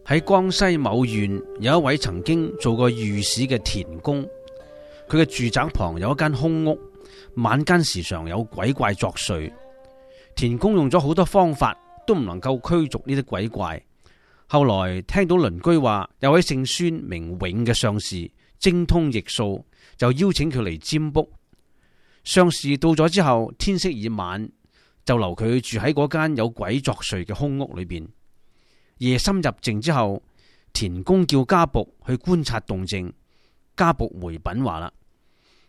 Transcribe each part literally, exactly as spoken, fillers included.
喺江西某縣有一位曾經做過御史嘅田公，佢嘅住宅旁有一間空屋，晚間時常有鬼怪作祟。田公用咗好多方法都唔能夠驅逐呢啲鬼怪。後來聽到鄰居話有位姓孫名永嘅相士精通易數，就邀請佢嚟占卜。相士到咗之後，天色已晚，就留佢住喺嗰間有鬼作祟嘅空屋裏邊。夜深入靜之後，田公叫家僕去觀察動靜。家僕回稟話啦：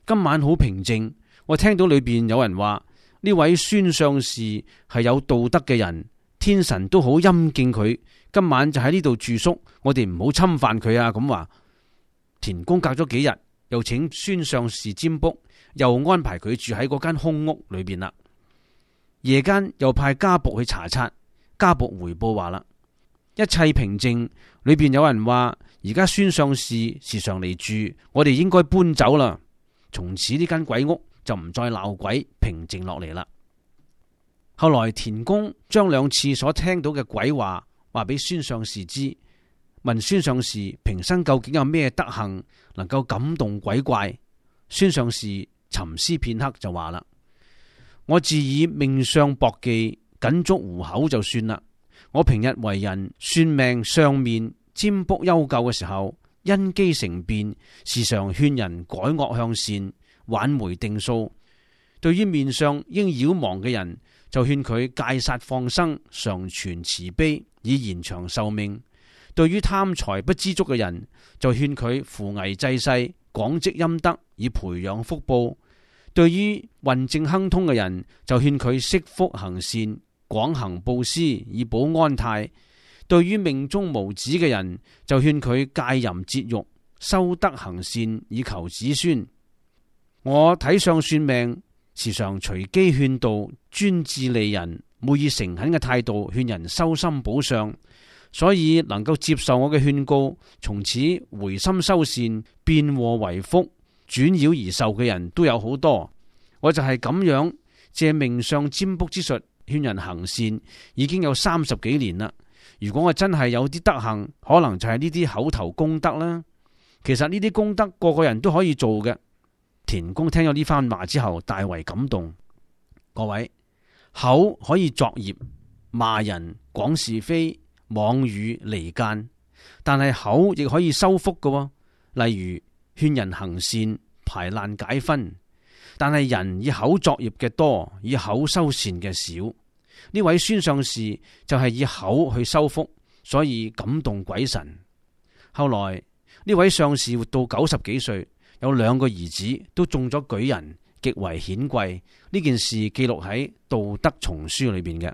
今晚好平靜，我聽到裏邊有人話呢位孫相士係有道德嘅人，天神都好欽敬佢，今晚就喺呢度住宿，我哋唔好侵犯佢啊！咁話。田公隔咗幾日，又請孫相士占卜，又安排佢住喺嗰間空屋裏邊啦。夜間又派家僕去查察，家僕回報話啦：一切平靜，裏邊有人話而家孫相士時常嚟住，我哋應該搬走啦。從此呢間鬼屋就唔再鬧鬼，平靜落嚟啦。後來田公將兩次所聽到嘅鬼話話俾孫相士知，問孫相士平生究竟有咩德行能夠感動鬼怪。孫相士沉思片刻就話啦：我自以命相薄技，僅足糊口就算啦。我平日為人算命相面占卜幽究嘅時候，因機成變，時常勸人改惡向善，挽回定數。對於面上應擾亡嘅人，就勸佢戒殺放生，常存慈悲，以延長壽命。對於貪財不知足嘅人，就勸佢扶危濟世，廣積陰德，以培養福報。對於運正亨通嘅人，就勸佢惜福行善，廣行布施，以保安泰。對於命中無子嘅人，就勸佢戒淫節欲，修德行善，以求子孫。我睇相算命，時常隨機勸導，專志利人，每以誠懇嘅態度勸人修心補相，所以能夠接受我嘅勸告，從此回心修善，變禍為福，轉擾而受嘅人都有好多。我就係咁樣借命相占卜之術勸人行善，已經有三十幾年啦。如果我真係有啲德行，可能就係呢啲口頭功德啦。其實呢啲功德個個人都可以做嘅。田公聽咗呢番話之後，大為感動。各位，口可以作業，罵人、講是非、妄語離間，但係口亦可以修福嘅。例如勸人行善、排難解紛。但係人以口作業嘅多，以口修善嘅少。呢位孫相士就係以口去修福，所以感動鬼神。後來呢位相士活到九十幾歲，有兩個兒子都中咗舉人，極為顯貴。呢件事記錄喺《道德叢書》裏邊嘅。